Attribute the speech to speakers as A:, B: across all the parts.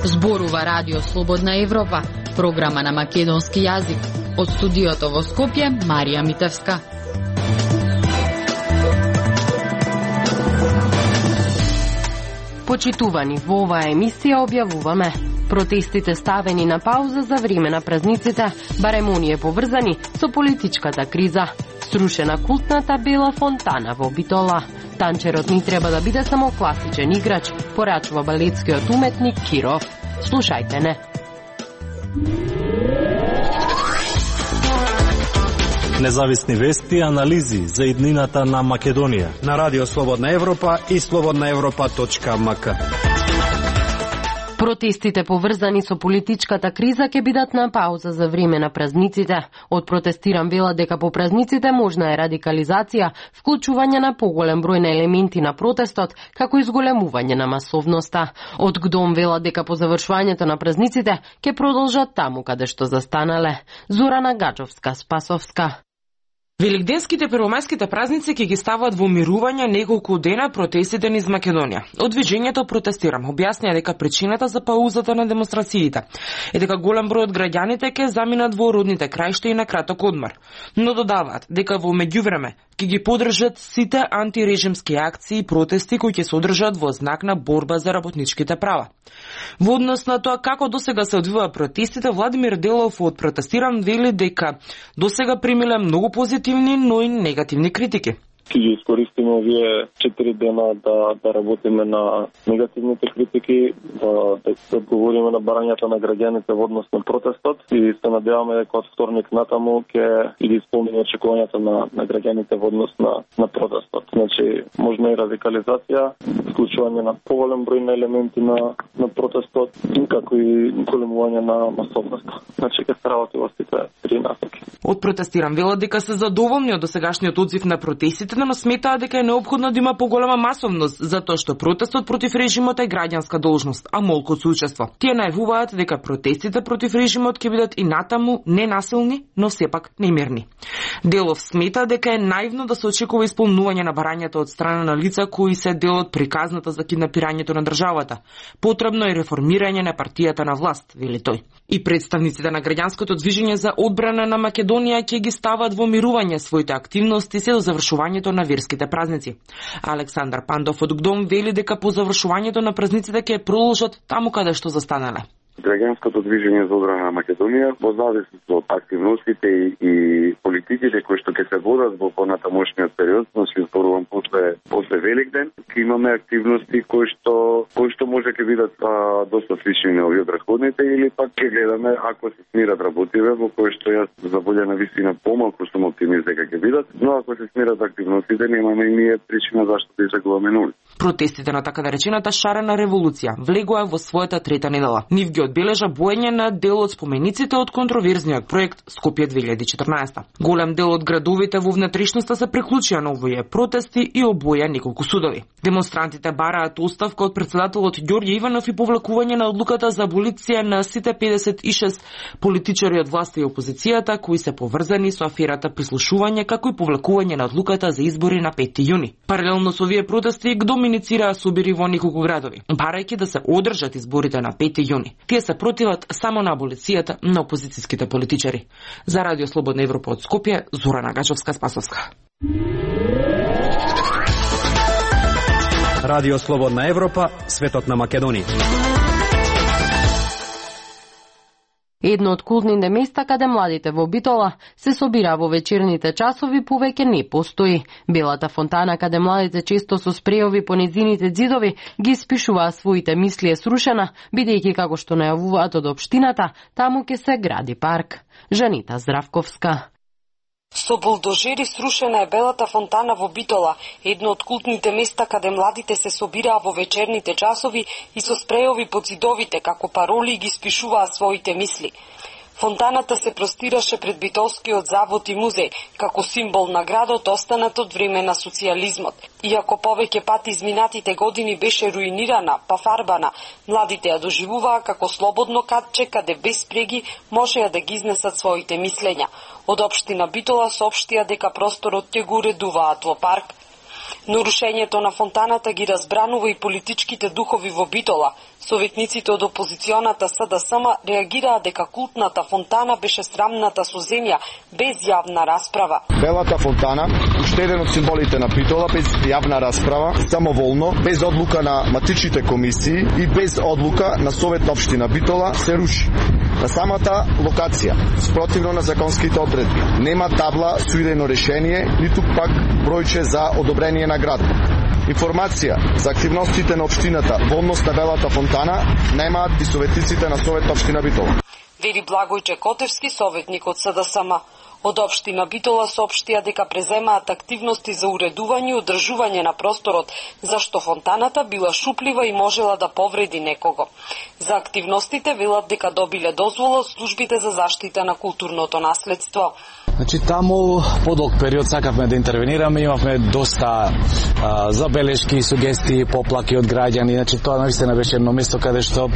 A: Зборува Радио Слободна Европа, програма на македонски јазик. Од студиото во Скопје, Марија Митевска.
B: Почитувани, во оваа емисија објавуваме: протестите ставени на пауза за време на празниците, барем оние поврзани со политичката криза. Срушена култната бела фонтана во Битола. Танчерот ни треба да биде само класичен играч, порачува балетскиот уметник Киров. Слушајте не.
C: Независни вести и анализи за иднината на Македонија
D: на Радио Слободна Европа и slobodnaevropa.mk.
B: Протестите поврзани со политичката криза ќе бидат на пауза за време на празниците. Од протестиран вела дека по празниците можна е радикализација, вклучување на поголем број на елементи на протестот, како и зголемување на масовноста. Од ГДОМ вела дека по завршувањето на празниците ќе продолжат таму каде што застанале. Зорана Гаџовска, Спасовска.
E: Великденските првомајските празници ќе ги стават во мирување неколку дена протестите низ Македонија. Од движењето Протестирам објаснија дека причината за паузата на демонстрациите е дека голем број од граѓаните ќе заминат во родните краишта и на краток одмор. Но додаваат дека во меѓувреме ќе ги поддржат сите антирежимски акции и протести кои ќе се одржат во знак на борба за работничките права. Во однос на тоа како досега се одвива протестите, Владимир Делов од Протестирам вели дека досега примиле многу позитивни, но и негативни критики.
F: Ќе ги искористиме овие 4 дена да работиме на негативните критики, да одговориме на барањата на граѓаните во однос на протестот и се надеваме дека од вторник натаму ќе ги исполниме очекувањата на граѓаните во однос на протестот. Значи, можна и радикализација, вклучување на поголем број на елементи на протестот, како и големување на масовноста. Значи, ќе се работи во сите три насоки.
E: Од Протестирам велат дека се задоволни од досегашниот одзив на протестите, но сметаа дека е неопходно да има поголема масовност, затоа што протестот против режимот е граѓанска должност, а молку соучество. Тие најавуваат дека протестите против режимот ќе бидат и натаму ненасилни, но сепак немирни. Делов смета дека е наивно да се очекува исполнување на барањата од страна на лица кои се дел од приказната за киднапирањето на државата. Потребно е реформирање на партијата на власт, вели тој. И представниците на граѓанското движење за одбрана на Македонија ќе ги стават во мирување своите активности се до завршувањето на верските празници. Александар Пандов од ГДОМ вели дека по завршувањето на празниците ќе продолжат таму каде што застанале.
G: Граѓанското движење за одбрана на Македонија во зависност од активностите и политиките кои што ќе се водат во понатамошниот период, значи зборувам после Великден, ќе имаме активности кои што може ќе бидат доста слични на овие претходните, или пак ќе гледаме ако се смират работиве во кои што јас за волја на вистина помалку сум оптимист дека ќе бидат, но ако се смират активностите немаме и ние причина зашто да излегуваме на улица.
E: Протестите на така наречената шарена револуција влегоа во својата трета недела. Нив ги одбележа боење на дел од спомениците од контроверзниот проект Скопје 2014. Голем дел од градовите во внатрешноста се приклучија на овие протести и обоја неколку судови. Демонстрантите бараат оставка од претседателот Ѓорѓе Иванов и повлекување на одлуката за аболиција на сите 56 политичари од власта и опозицијата кои се поврзани со аферата прислушување, како и повлекување на одлуката за избори на 5 јуни. Паралелно со овие протести ГДОМ иницираа собери во неколку градови, барајќи да се одржат изборите на 5 јуни. Тие се противат само на аболицијата на опозицијските политичари. За Радио Слободна Европа од Скопје, Зорана Гаџовска, Спасовска.
D: Радио Слободна Европа, светот на Македонија.
B: Едно од култните места каде младите во Битола се собира во вечерните часови повеќе не постои. Белата фонтана каде младите често со спреови по незините ѕидови ги испишуваа своите мисли е срушена, бидејќи како што најавуваат од општината, таму ќе се гради парк. Жанита Здравковска.
H: Со булдожери срушена е Белата фонтана во Битола, едно од култните места каде младите се собираа во вечерните часови и со спреови по ѕидовите како пароли ги спишуваа своите мисли. Фонтаната се простираше пред Битолскиот завод и музеј, како символ на градот останат од време на социјализмот. Иако повеќе пати изминатите години беше руинирана, па фарбана, младите ја доживуваа како слободно катче каде без преги можеа да ги изнесат своите мислења. Од општина Битола соопштија дека просторот ќе го уредуваат во парк. Нарушењето на фонтаната ги разбранува и политичките духови во Битола. Советниците од опозиционата СДСМ реагираа дека култната фонтана беше срамната со земја, без јавна расправа.
I: Белата фонтана, уште еден од символите на Битола, без јавна расправа, самоволно, без одлука на матичните комисии и без одлука на Совет општина Битола, се руши. На самата локација, спротивно на законските одредби, нема табла со идејно решение, ниту пак бројче за одобрение на град. Информација за активностите на општината во однос на Белата фонтана немаат и советниците на Совет општина Битола.
H: Вели Благојче Котевски, советник од СДСМ. Од општина Битола соопштија дека преземаат активности за уредување и одржување на просторот, зашто фонтаната била шуплива и можела да повреди некого. За активностите велат дека добиле дозвола од службите за заштита на културното наследство.
J: Значи, таму подолг период сакавме да интервенираме, имавме доста забелешки, сугестии, поплаки од граѓани. Значи, тоа наистина беше едно место каде што,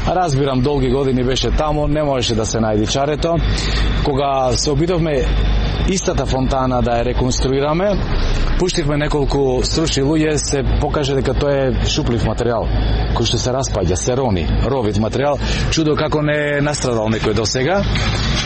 J: разбирам, долги години беше таму, не можеше да се најди чарето. Кога се обидовме истата фонтана да ја реконструираме, пуштивме неколку стручни луѓе, се покаже дека тоа е шуплив материјал, кој што се распаѓа, се рони, ровит материјал. Чудо како не е настрадал некој до сега.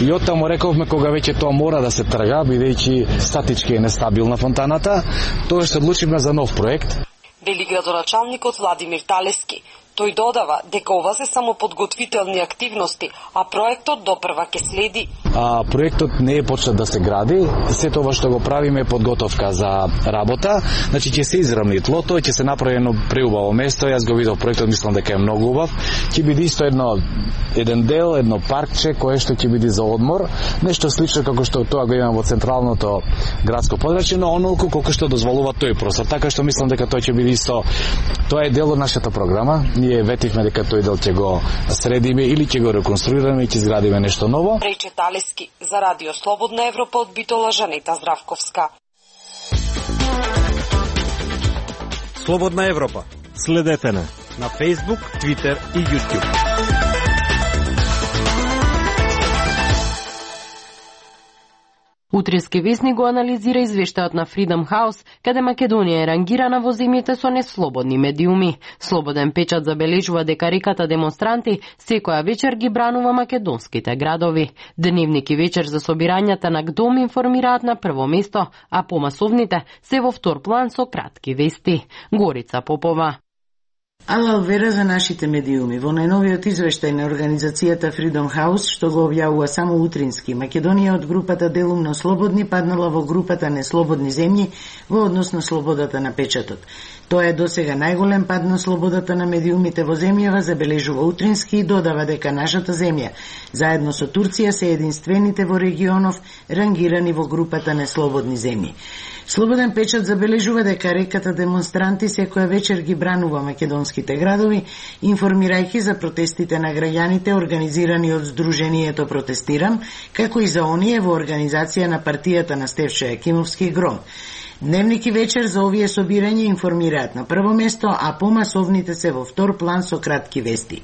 J: И оттаму рековме, кога веќе тоа мора да се трга, бидејќи статички е нестабилна фонтаната, тоа што одлучивме за нов проект.
H: Вели градоначалникот Владимир Талески. Тој додава дека ова се само подготвителни активности, а проектот допрва ќе следи.
J: Проектот не е почнат да се гради, се тоа што го правиме е подготовка за работа, значи ќе се израмни тлото, ќе се направи едно преубаво место, јас го видов проектот, мислам дека е многу убав, ќе биде исто еден дел, едно паркче кое што ќе биде за одмор, нешто слично како што тоа го имаме во централното градско подрачје, но онолку колку што дозволува тој простор, така што мислам дека тоа ќе биде исто, тоа е дел од нашата програма. Ние ветивме дека тој дел ќе го средиме или ќе го реконструираме и ќе изградиме нешто ново.
H: Рече Талески за Радио Слободна Европа од Битола, Жанета Здравковска.
D: Слободна Европа.
C: Следете на
D: Facebook, Twitter и YouTube.
B: Утрински весник го анализира извештајот на Freedom House, каде Македонија е рангирана во земјите со неслободни медиуми. Слободен печат забележува дека реката демонстранти секоја вечер ги бранува македонските градови. Дневник и вечер за собирањата на ГДОМ информираат на прво место, а помасовните се во втор план со кратки вести. Горица Попова.
K: Алал вера за нашите медиуми. Во најновиот извештај на организацијата Freedom House, што го објавува само утрински, Македонија од групата делумно слободни паднала во групата неслободни земји во однос на слободата на печатот. Тоа е досега најголем пад на слободата на медиумите во земјава, забележува утрински и додава дека нашата земја, заедно со Турција, се единствените во регионов рангирани во групата неслободни земји. Слободен печат забележува дека реката демонстранти секоја вечер ги бранува македонските градови, информирајќи за протестите на граѓаните организирани од Сдруженијето Протестирам, како и за оние во организација на партијата на Стефчо Јакимовски Гром. Дневник и вечер за овие собирања информираат на прво место, а помасовните се во втор план со кратки вести.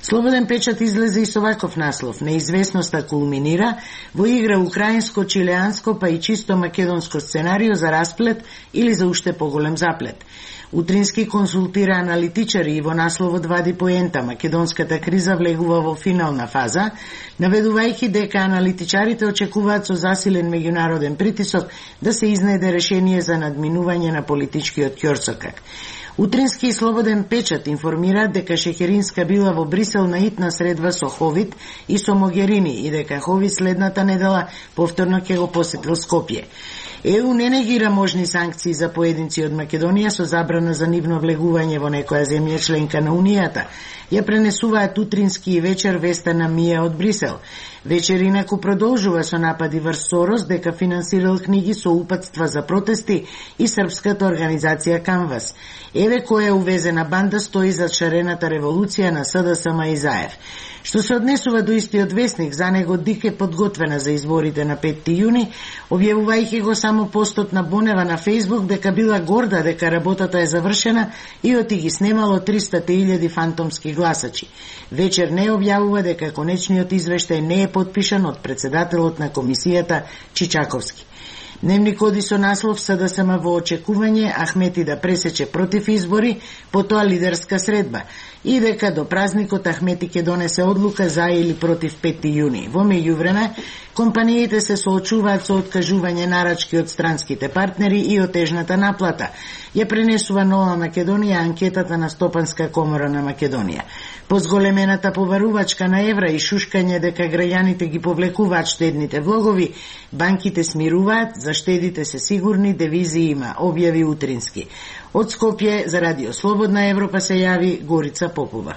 K: Слободен печат излезе и со ваков наслов: неизвестноста кулминира во игра украинско, чилеанско па и чисто македонско сценарио за расплет или за уште поголем заплет. Утрински консултира аналитичари и во насловот вади поента: македонската криза влегува во финална фаза, наведувајќи дека аналитичарите очекуваат со засилен меѓународен притисок да се изнајде решение за надминување на политичкиот ќорсокак. Утрински и Слободен печат информираат дека Шекеринска била во Брисел на итна средба со Ховид и со Могерини и дека Ховид следната недела повторно ќе го посетил Скопје. ЕУ не негира можни санкции за поединци од Македонија со забрана за нивно влегување во некоја земја членка на Унијата. Ја пренесуваат утрински и вечер веста на Мија од Брисел. Вечер инаку продолжува со напади врз Сорос дека финансирал книги со упатства за протести и српската организација Канвас. Еве која увезена банда стои за шарената револуција на СДСМ и Заев. Што се однесува до истиот весник, за него ДИК е подготвена за изборите на 5 јуни, објавувајќи го само постот на Бонева на Facebook дека била горда дека работата е завршена и оти ги снемало 300.000 фантомски гласачи. Вечер не објавува дека конечниот извештај не е подпишан од председателот на комисијата Чичаковски. Дневник оди со наслов СДСМ во очекување, Ахмети да пресече против избори, потоа лидерска средба, и дека до празникот Ахмети ќе донесе одлука за или против 5 јуни. Во меѓувреме, компаниите се соочуваат со откажување нарачки од странските партнери и отежната наплата. Ја пренесува Нова Македонија анкетата на Стопанска комора на Македонија. По зголемената побарувачка на евра и шушкање дека граѓаните ги повлекуваат штедните влогови, банките смируваат, за штедите се сигурни, девизи има, објави утрински. Од Скопје за Радио Слободна Европа се јави Горица Попова.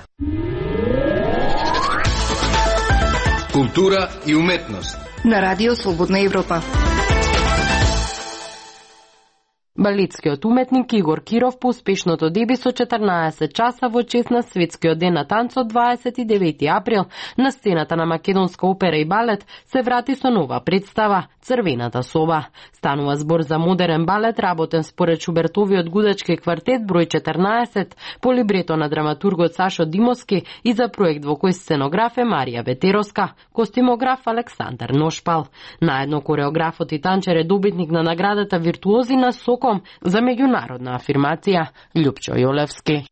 L: Култура и уметност
M: на Радио Слободна Европа.
B: Балетскиот уметник Игор Киров по успешното деби со 14 часа во чест на Светскиот ден на танцот 29 април на сцената на Македонска опера и балет се врати со нова представа Црвената соба. Станува збор за модерен балет работен според Шубертовиот гудачки квартет број 14 по либрето на драматургот Сашо Димовски и за проект во кој сценограф е Марија Ветеровска, костимограф Александар Ношпал. Наедно кореографот и танчер е добитник на наградата Виртуози на Соком за меѓународна афирмација Љупчо Јолевски.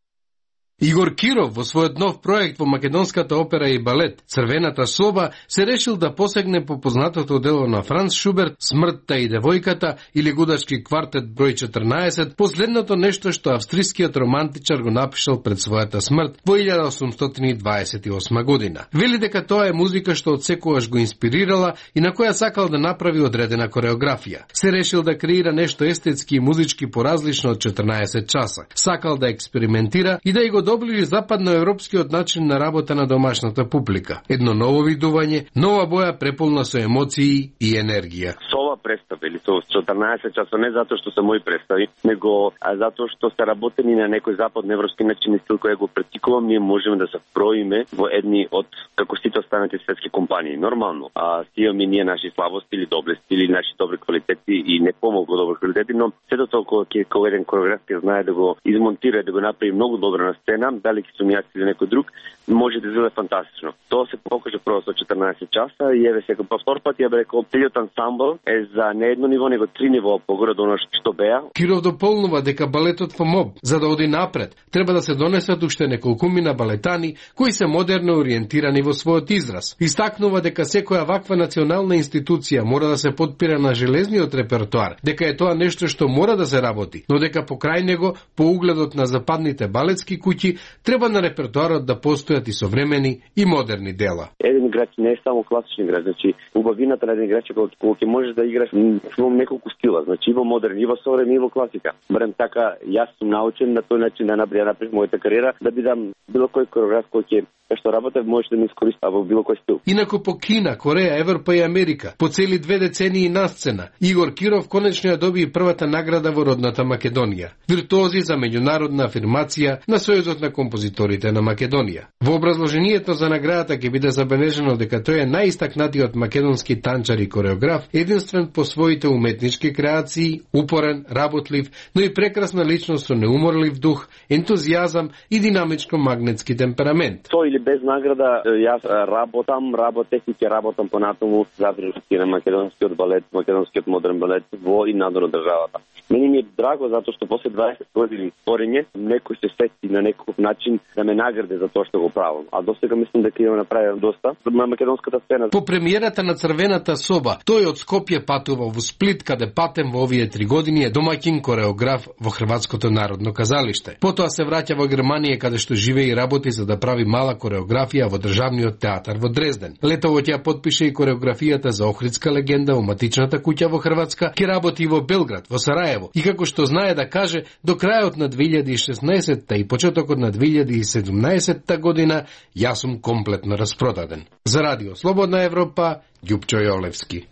L: Игор Киров во својот нов проект во Македонската опера и балет Црвената соба се решил да посегне по познатото дело на Франц Шуберт Смртта и девојката или гудачки квартет број 14, последното нешто што австрискиот романтичар го напишал пред својата смрт во 1828 година. Вели дека тоа е музика што одсекогаш го инспирирала и на која сакал да направи одредена кореографија. Се решил да креира нешто естетски и музички поразлично од 14 часа. Сакал да експериментира и да и го доближи западноевропскиот начин на работа на домашната публика. Едно ново видување, нова боја преполна со емоции и енергија.
G: Ова представа или со 14 часа не затоа што се мои представи, него затоа што се работени на некој западноевропски начин и стил кој го практикувам, ние можеме да се впроиме во едни од како сите останати светски компании. Нормално, имаме ние наши слабости или доблести или наши добри квалитети и не помалку добри квалитети, но сето толку кога еден кореограф ќе знае да го измонтира, да го направи многу добро на сцена, дали ќе сум јас или некој друг, може да изгледа фантастично. Тоа се покаже прво со 14 часа и еве сега по втор пат ја рекол целиот ансамбл е за не едно ниво, него 3 нивоа погоре од она што беа.
L: Киров дополнува дека балетот во МОБ, за да оди напред, треба да се донесат уште неколкумина балетани кои се модерно ориентирани во својот израз. Истакнува дека секоја ваква национална институција мора да се подпира на железниот репертоар, дека е тоа нешто што мора да се работи, но дека покрај него, по угледот на западните балетски куќи, треба на репертоарот да постојат и современи и модерни дела.
G: Еден играч не е само класичен играч, значи убавината на еден играч е кога ќе можеш да играш во неколку стила, значи и во модерн, и во современ, и во класика. Барем така, јас сум научен на тој начин да направам мојата кариера, да бидам било кој кореограф кој ќе што работев може да ми искористи во било кој стил.
L: Инаку по Кина, Кореја, Европа и Америка, по цели 2 децении на сцена, Игор Киров конечно ја доби првата награда во родната Македонија. Виртуози за меѓународна афирмација на Сојузот на композиторите на Македонија. Во образложението за наградата ќе биде забележено дека тој е најистакнатиот македонски танчар и кореограф, единствен по своите уметнички креации, упорен, работлив, но и прекрасна личност со неуморлив дух, ентузијазам и динамичко-магнетски темперамент.
G: Или без награда, јас работех и ќе работам понатаму за на македонскиот балет, македонскиот модерен балет во и надвор од државата. Мене ми е драго затоа што после 20 години творење некој се сети на некој начин да ме награди за тоа што го правам. А досега мислам дека ја направив доста на македонската сцена.
L: По премиерата на Црвената соба, тој од Скопје патува во Сплит, каде патем во овие 3 години е домаќин кореограф во Хрватското народно казалиште. Потоа се враќа во Германија каде што живее и работи за да прави мала кореографија во државниот театар во Дрезден. Летово ќе подпише и кореографијата за Охридска легенда во матичната куќа во Хрватска, ќе работи и во Белград, во Сараево. И како што знае да каже, до крајот на 2016 и почетокот на 2017 година јас сум комплетно распродаден. За Радио Слободна Европа, Љупчо Јолевски.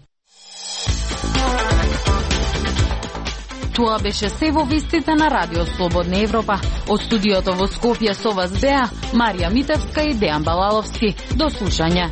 A: Тоа беше се во вестите на Радио Слободна Европа. Од студиото во Скопје со вас беа Марија Митевска и Дејан Балаловски. До слушање.